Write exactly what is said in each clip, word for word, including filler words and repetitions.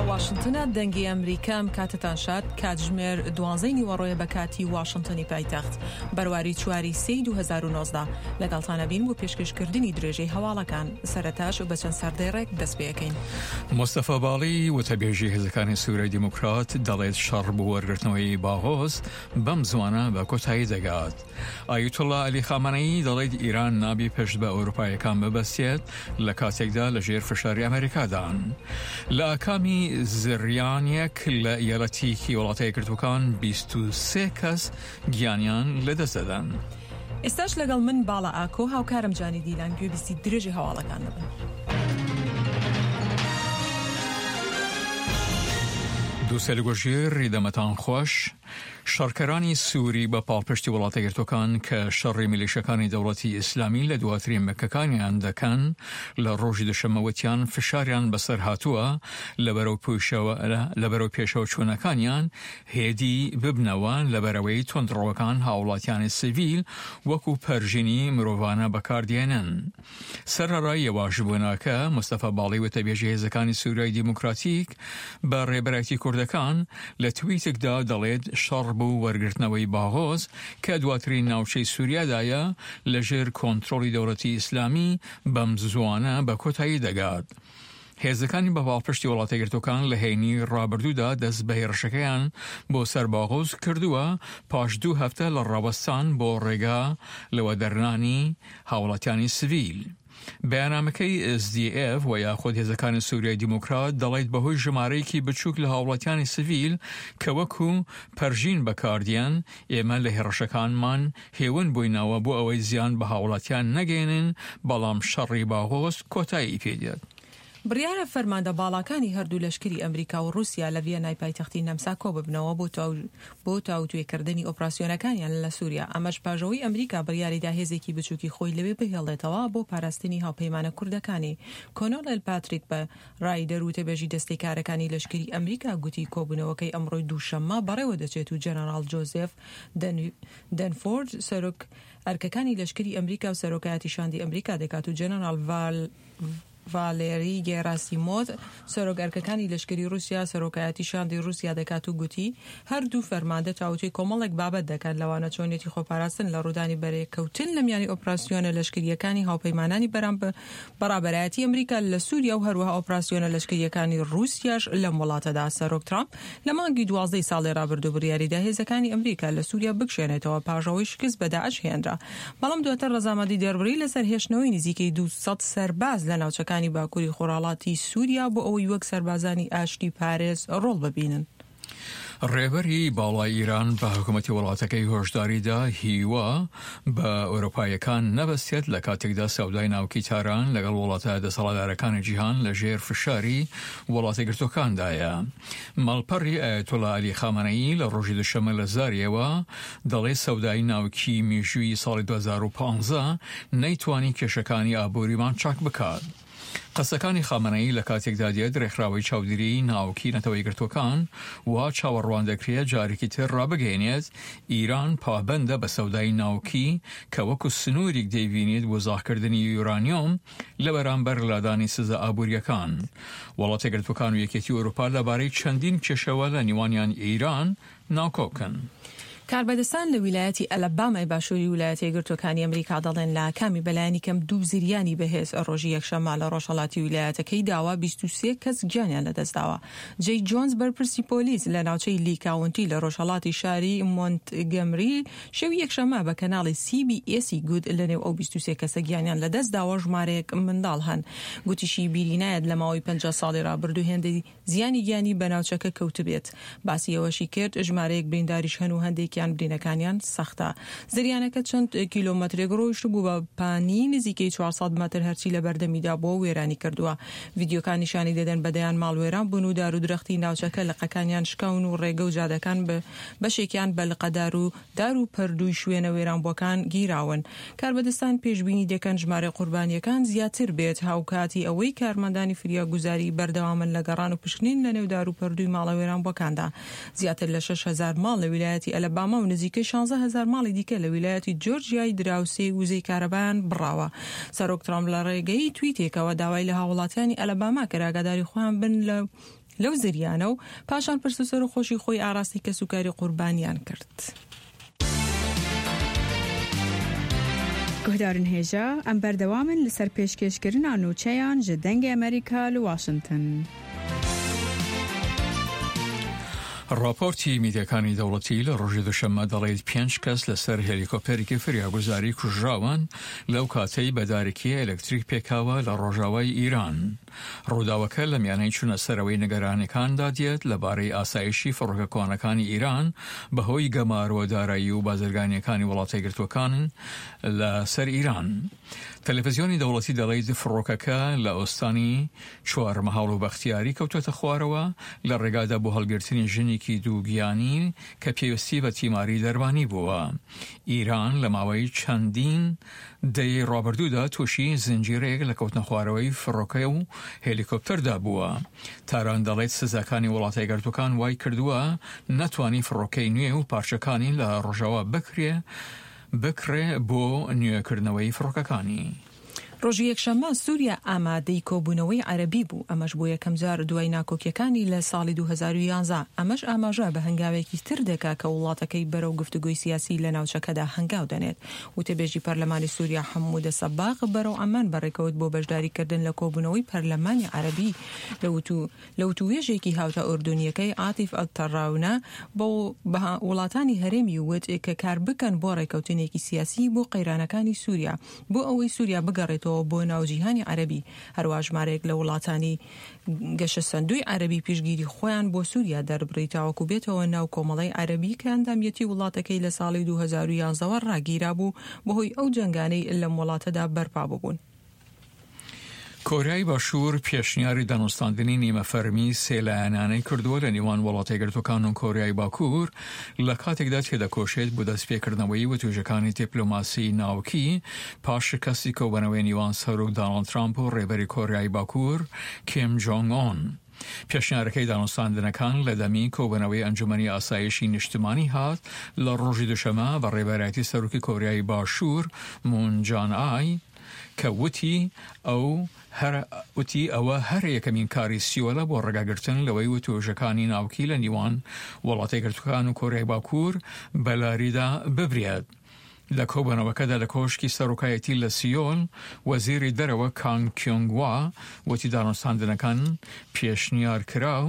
واشنتنە دەنگی ئەمریکا ئەم کاتەتان شاد. کاتژمێر دوانزەی نیوەڕۆیە بە کاتی واشنتنی پایتەخت، بەرواری چواری سێی دوو هەزار و نۆزدە. لەگەڵتانە بین بۆ پێشکەشکردنی درێژەی هەواڵەکان. سەرەتاش بە چەند سەردێڕێک دەست پێەکەین. مستەفا باڵی وتەبێژی هێزەکانی سووریای دیموکرات دەڵێت شەڕ بۆ وەرگرتنەوەی باغۆز بەم زوانە بە کۆتایی دەگات. ئایەتوڵڵا عەلی خامنەیی دەڵێت ئیران نابی پشت بە ئەوروپایەکان ببەستێت لە کاتێکدا لەژێر فشاری ئەمریکادان. لە ئاکامی زریانێک لە ئیالەتێکی وڵاتە یەکگرتووەکان بیست و سێ کەس گیانیان لەدەست دەدەن. ئێستاش لەگەڵ من باڵا ئاکۆ هاوکارم جانی دیلان گوێبیستی درێژی هەواڵەکان دەبن. دوو سەرگۆژێر دەمەتان خۆش. شەڕکەرانی سووری بە پاڵپشتی وڵاتە یەکگرتووەکان کە شەڕی میلیشەکانی دەوڵەتی ئیسلامی لە دواترین مەکەکانیان دەکەن لە ڕۆژی دوشەممەوەتیان فشاریان بەسەر هاتووە لە بەرەو پێشەوە چوونەکانیان هێدی ببنەوە لەبەرەوەی توندڕەوەکان هاوڵاتیانی سیڤیل وەکو پەرژینی مرۆڤانە بەکاردێنن. سەرەڕای یەواشبوونەکە مستەفا باڵی وتەبێژی هێزەکانی سووریای دیموکراتیک بە ڕێبەرایەتی کوردەکان لە تویتێکدا دەڵێت شەڕ بۆ وەرگرتنەوەی باغۆز کە دواترین ناوچەی سووریادایە لەژێر کۆنترۆڵی دەوڵەتی ئیسلامی بەم زوانە بە کۆتایی دەگات. هێزەکانی بە پاڵپشتی وڵاتە یەکگرتووەکان لە هەینی ڕابردوودا دەست بە هێرشەکەیان بۆ سەر باغۆز کردووە پاش دوو هەفتە لە ڕاوەستان بۆ ڕێگا لەوە دەرنانی هاوڵاتیانی سڤیل. بەیاننامەکەی S D F و یاخود هێزەکانی سووریای دیموکرات دەڵێت بەهۆی ژمارەیەکی بچووک لە هاوڵاتیانی سڤیل کە وەکو پەرژین بەکاردیان ئێمە لە هێڕشەکانمان هێون بووینەوە بۆ ئەوەی زیان بە هاوڵاتیان نەگەێنن، بەڵام شەڕی باغۆز کۆتایی پێدێت. بڕیارە فەرماندە باڵاکانی هەردوو لەشکری ئەمریکا و رووسیا لە ڤیەنای پایتەختی نەمسا کۆ ببنەوە بۆ تاوتوێکردنی ئۆپراسیۆنەکانیان لە سووریا. ئەمەش پاژەوەی ئەمریکا بڕیاریدا هێزێکی بچووکی خۆی لەوێ بهێڵێتەوە بۆ پاراستنی هاوپەیمانە کوردەکانی. کۆنۆڵێل پاتریک بە ڕایدەر وتەبێژی دەستەی کارەکانی لەشکری ئەمریکا گوتی کۆبوونەوەکەی ئەمڕۆی دووشەممە بەڕێوە دەچێت و جەنەراڵ جۆزێف دەنفۆرد سەرۆک ئەرکەکانی لەشکری ئەمریکا و سەرۆکایەتی شاندی ئەمریکا دەکات و جەنەراڵ ڤال ڤالێری گێراسیمۆڤ سەرۆک ئەرکەکانی لەشکری رووسیا سەرۆکایەتی شاندی رووسیا دەکات و گوتی هەردوو فەرماندە تاوتوێی کۆمەڵێک بابەت دەکەن لەوانە چۆنیەتی خۆپاراستن لە ڕوودانی بەرێکەوتن لە میانی ئۆپراسیۆنە لەشکریەکانی هاوپەیمانانی بەڕابەرایەتی ئەمریکا لە سووریا و هەروەها ئۆپراسیۆنە لەشکریەکانی رووسیاش لەم وڵاتەدا. سەرۆک ترامپ لە مانگی دوازدەی ساڵی ڕابردوو بڕیاریدا هێزەکانی ئەمریکا لە سووریا بکشێنێتەوە پاژەوەی شکست بە داعش هێنرا، بەڵام دواتر ڕەزامەندی دەربڕی لەسەر هێشتنەوەی نزیکەی دوو سەد سەرباز لە ناوچەکانی باکووری خۆرهەڵاتی سووریا بۆ ئەوەی وەک سەربازانی ئاشتی پارێز ڕۆڵ ببینن. ڕێبەری باڵای ئیران بە حکوومەتی وڵاتەکەی هۆشداریدا هیوا بە ئەوروپایەکان نەبەستێت لە کاتێکدا سەودای ناوکی تاران لەگەڵ وڵاتە دەسەڵاتدارەکانی جیهان لە ژێر فشاری وڵاتە یەکگرتووەکاندایە. ماڵپەڕی ئایەتوڵا عەلی خامنەیی لە ڕۆژی دوشەممە لە زاریەوە دەڵێ سەودای ناوکی مێژووی ساڵی دوو هەزار و پازدە نەیتوانی کێشەکانی ئابووریمان چاک بکات. قسەکانی خامنەیی لە کاتێکدا دێت ڕێکخراوەی چاودێری ناوکی نەتەوە یەکگرتووەکان وا چاوەڕوان دەکرێت جارێکی تر ڕابگەێنێت ئیران پابەندە بە سەودای ناوکی کە وەکو سنووریک دەیبینێت بۆ زاخکردنی یورانیۆم لە بەرامبەر لادانی سزا ئابووریەکان. وڵاتە یەکگرتووەکان و یەکێتی ئەوروپا لەبارەی چەندین کێشەوە لە نێوانیان ئیران ناکۆکن. کاربەدەستان لە ویلایەتی ئەلەبامای باشووری ویلایەتە یەکگرتووەکانی ئەمریکا دەڵێن لە ئاکامی بەلایەنی کەم دوو زریانی بەهێز ڕۆژی یەکشەممە لە ڕۆژهەڵاتی ویلایەتەکەی داوە بیست و سێ کەس گیانیان لەدەستداوە. جەی جۆنز بەرپرسی پۆلیس لە ناوچەی لی کاونتی لە ڕۆژهەڵاتی شاری مۆنتگەمری شەوی یەکشەممە بە کەناڵی C B S ی گوت لەنێو ئەو بیست و سێ کەسە گیانیان لەدەستداوە ژمارەیەک منداڵ هەن. گوتیشی بیری نایەت لە ماوەی پەنجا ساڵی ڕابردوو هێندەی زیانی گیانی بە ناوچەکە کەوتبێت. باسی ئەوەشی کرد ژمارەیەک برینداریش هەن و هەندێکیان برینەکانیان سەختە. زریانەکە چەند کیلۆمەترێک ڕۆیشت بوو بە پانی نزیکەی چوار سەد مەتر هەرچی لە بەردەمیدا بووە وێرانی کردووە. ڤیدیۆکان نیشانی دەدەن بەدەیان ماڵ وێران بوون و دار و درەختی ناوچەکە لقەکانیان شکاون و ڕێگە و جادەکان بەشێکیان بە لقەدار و دار و پەردووی شوێنە وێرانبووەکان گیراون. کاربەدەستان پێشبینی دەکەن ژمارەی قوربانیەکان زیاتر بێت، هاوکاتی ئەوەی کارمەندانی فریاگوزاری بەردەوامن لە گەڕان و پشکنین لە نێو دار و پەردووی ماڵە وێرانبووەکاندا. زیاتر لە شەش هەزار ماڵ لە ویلایەتی ئەلەباما و نزیکەی شانزە هەزار ماڵی دیکە لە ویلایەتی جۆرجیای دراوسێ وزەی کارەبایان بڕاوە. سەرۆک ترامپ لە ڕێگەی تویتێکەوە داوای لە هاوڵاتیانی ئەلەباما کرد ئاگاداری خۆیان بن لە لەو زریانە و پاشان پرس و سەرەخۆشی خۆی ئاراستەی کەسوکاری قوربانیان کرد. Guhdarên hêja em berdewam in li ser pêşkêşkirina nûçeyan ji Dengê Amerîka li Washington. ڕاپۆرتی میدیاکانی دەوڵەتی لە ڕۆژی دوشەممە دەڵێت پێنج کەس لەسەر هێلیکۆپتەرێکی فریاگوزاری کوژراون لەو کاتەی بەدارێکی ئەلکتریک پێکاوە لە ڕۆژاوای ئیران. ڕووداوەکە لە میانەی چوونە سەرەوەی نیگەرانیەکاندا دێت لەبارەی ئاسایشی فڕۆکە کۆنەکانی ئیران بەهۆی گەمارۆ دارایی و بازرگانیەکانی وڵاتە یەکگرتووەکان لەسەر ئیران. تەلەڤیزیۆنی دەوڵەتی دەڵێت فڕۆکەکە لە ئۆستانی چوارمەحاڵ و بەختیاری کەوتوەتە خوارەوە لە ڕێگادا بۆ هەڵگرتنی ژنێکی دووگیانی کە پێویستی بە تیماری دەرمانی بووە. ئیران لە ماوەی چەندین دەیەی ڕابردوودا تووشی زنجیرەیەک لە کەوتنە خوارەوەی فڕۆکە و هێلیکۆپتەردا بووە. تاران دەڵێت سزاکانی وڵاتە یەکگرتووەکان وای کردووە نەتوانی فڕۆکەی نوێ و پارچەکانی لە ڕۆژاوا بکرێ بکڕێ بۆ نوێکردنەوەی فڕۆکەکانی. ڕۆژی یەکشەممە سووریا ئامادەی کۆبوونەوەی عەرەبی بوو، ئەمەش بۆ یەکەمجار دوای ناکۆکیەکانی لە ساڵی دوو هەزار و یازدە. ئەمەش ئاماژە بە هەنگاوێکی تر دەکا کە وڵاتەکەی بەرەو گفتوگۆی سیاسی لە ناوچەکەدا هەنگاو دەنێت. وتەبێژی پەرلەمانی سووریا حەمودە سەباغ بەرەو عەمان بەڕێکەوت بۆ بەشداریکردن لە کۆبوونەوەی پەرلەمانی عەرەبی لە وتوێژێکی هاوتا ئوردونیەکەی عاتیف ئەلتەڕاونە بۆ وڵاتانی هەرێمی وت کە کار بکەن بۆ ڕێکەوتنێکی سیاسی بۆ قەیرانەکانی سووریا بۆ ئەوەی سووریا بگەڕێتەوە بۆ ناو جیهانی عەرەبی. هەروە ژمارەیەک لە وڵاتانی گەشەسەندووی عەرەبی پێشگیری خۆیان بۆ سووریا دەربڕی تاوەکو بێتەوە ناو کۆمەڵەی عەرەبی کە ئەندامیەتی وڵاتەکەی لە ساڵی دوو هەزار و یازدەوە ڕاگیرا بوو بەهۆی ئەو جەنگانەی لەم وڵاتەدا بەرپا ببوون. کۆریای باشوور پێشنیاری دانوستاندنی نیمە فەرمی سێلایەنانەی کردووە لە نێوان وڵاتە یەکگرتووەکان و کۆریای باکوور لە کاتێکدا تێدەکۆشێت بۆ دەستپێکردنەوەی وتوێژەکانی دیپلۆماسی ناوکی پاش شکستی کۆبەنەوەی نێوان سەرۆک داناڵد ترامپ و ڕێبەری کۆریای باکوور کیم جۆنگ ئۆن. پێشنیارەکەی دانوستاندنەکان لە دەمی کۆبەنەوەی ئەنجومەنی ئاسایشی نیشتمانی هات لە ڕۆژی دوشەمە بە ڕێبەرایەتی سەرۆکی کۆریای باشوور مون جان ئای کە وتی ئەو هەر وتی ئەوە هەر یەکەمین کاری سیۆلە بۆ ڕێگاگرتن لەوەی وتوێژەکانی ناوکی لە نێوان وڵاتە یەکگرتووەکان و کۆریای باکوور بەلاریدا ببرێت. لە کۆبەنەوەکەدا لە کۆشکی سەرۆکایەتی لە سیۆل وەزیری دەرەوە کانگ کیۆنگوا وتی دانوستاندنەکان پێشنیار کراو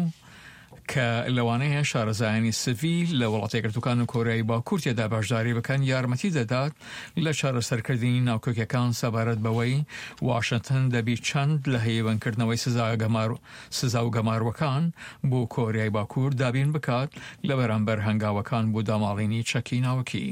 کە لەوانەیە شارەزایانی سڤیل لە وڵاتە یەکگرتووەکان و کۆریای باکوور تێدا بەشداری بکەن یارمەتی دەدات لە چارەسەرکردنی ناوکۆکیەکان سەبارەت بەوەی واشنگتن دەبی چەند لە هەیوانکردنەوەی سزا و گەماروەکان بۆ کۆریای باکوور دابین بکات لە بەرامبەر هەنگاوەکان بۆ داماڵینی چەکی ناوکی.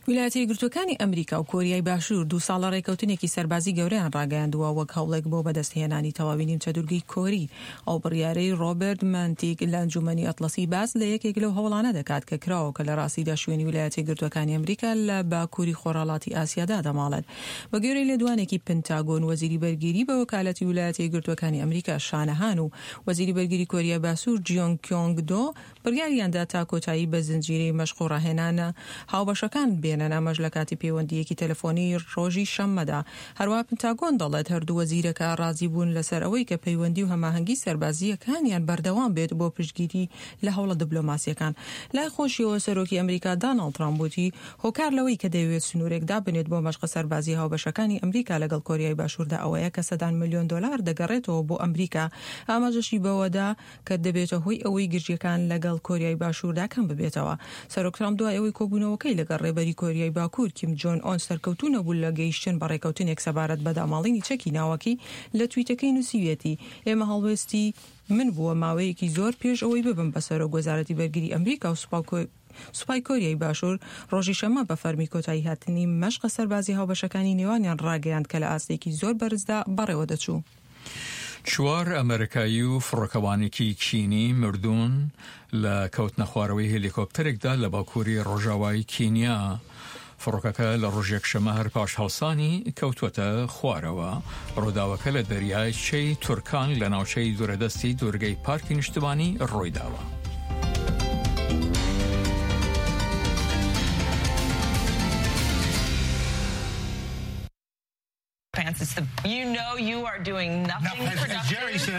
ویلایەتە یەکگرتووەکانی ئەمریکا و کۆریای باشوور دوو ساڵە ڕێکەوتنێکی سەربازی گەورەیان ڕاگەیاندووە وەک هەوڵێک بۆ بەدەستهێنانی تەواوی نیمچە دوورگەی کۆری. ئەو بڕیارەی ڕۆبەرت مانتیک لە ئەنجومەنی ئەتڵەسی باس لە یەکێک لەو هەوڵانە دەکات کە کراوە کە لە ڕاستیدا شوێنی ویلایەتە یەکگرتووەکانی ئەمریکا لە باکووری خۆرهەڵاتی ئاسیادا دەماڵێت. بە گوێرەی لێدوانێکی پنتاگۆن وەزیری بەرگیری بە وەکالەتی ویلایەتە یەکگرتووەکانی ئەمریکا شانەهان و وەزیری بەرگیری کۆریای باشوور جیۆنگ کیۆنگ دۆ بڕیاریاندا تا کۆتایی بە زنجیرەی مەشق و ڕاهێنانە هاوبەشەکان بێنن، ئەمەش لە کاتی پەیوەندیەکی تەلەفۆنی ڕۆژی شەممەدا. هەروە پنتاگۆن دەڵێت هەردوو وەزیرەکە ڕازی بوون لەسەر ئەوەی کە پەیوەندی و هەماهەنگی سەربازییەکانیان بەردەوام بێت بۆ پشتگیری لە هەوڵە دیپلۆماسیەکان. لای خۆشیەوە سەرۆکی ئەمریکا داناڵد ترامپ وتی هۆکار لەوەی کە دەیەوێت سنوورێک دابنێت بۆ مەشقە سەربازی هاوبەشەکانی ئەمریکا لەگەڵ کۆریای باشووردا ئەوەیە کە سەدان ملیۆن دۆلار دەگەڕێتەوە بۆ ئەمریکا. ئاماژەشی بەوەدا کە دەبێتە هۆی ئەوەی گرژیەکان لەگەڵ کۆریای باشووردا کەم ببێتەوە. سەرۆک ترامپ دوای ئەوەی کۆبوونەوەکەی لەگەڵ ڕێبەری کۆریای باکوور کیم جۆن ئۆن سەرکەوتوو نەبوو لە گەیشتن بە ڕێکەوتنێک سەبارەت بە داماڵینی چەکی ناوەکی لە تویتەکەی نووسیویەتی ئێمە هەڵوێستی من بووە ماوەیەکی زۆر پێش ئەوەی ببم بە سەرۆک وەزارەتی بەرگری ئەمریکا و سوپای کۆریای باشوور ڕۆژی شەممە بە فەرمی کۆتایی هاتنی مەشقە سەربازی هاوبەشەکانی نێوانیان ڕاگەیاند کە لە ئاستێکی زۆر بەرزدا بەڕێوە دەچوو. چوار ئەمریکایی و فڕۆکەوانێکی کینی مردوون لە کەوتنە خوارەوەی هێلیکۆپتەرێکدا لە باکووری ڕۆژاوای کینیا. فڕۆکەکە لە ڕۆژ یەکشەممە هەر پاش هەڵسانی کەوتوەتە خوارەوە. ڕووداوەکە لە دەریای چەی تورکان لە ناوچەی دوورەدەستی دوورگەی پارکی نیشتمانی ڕوویداوە. You know you are doing nothing productive.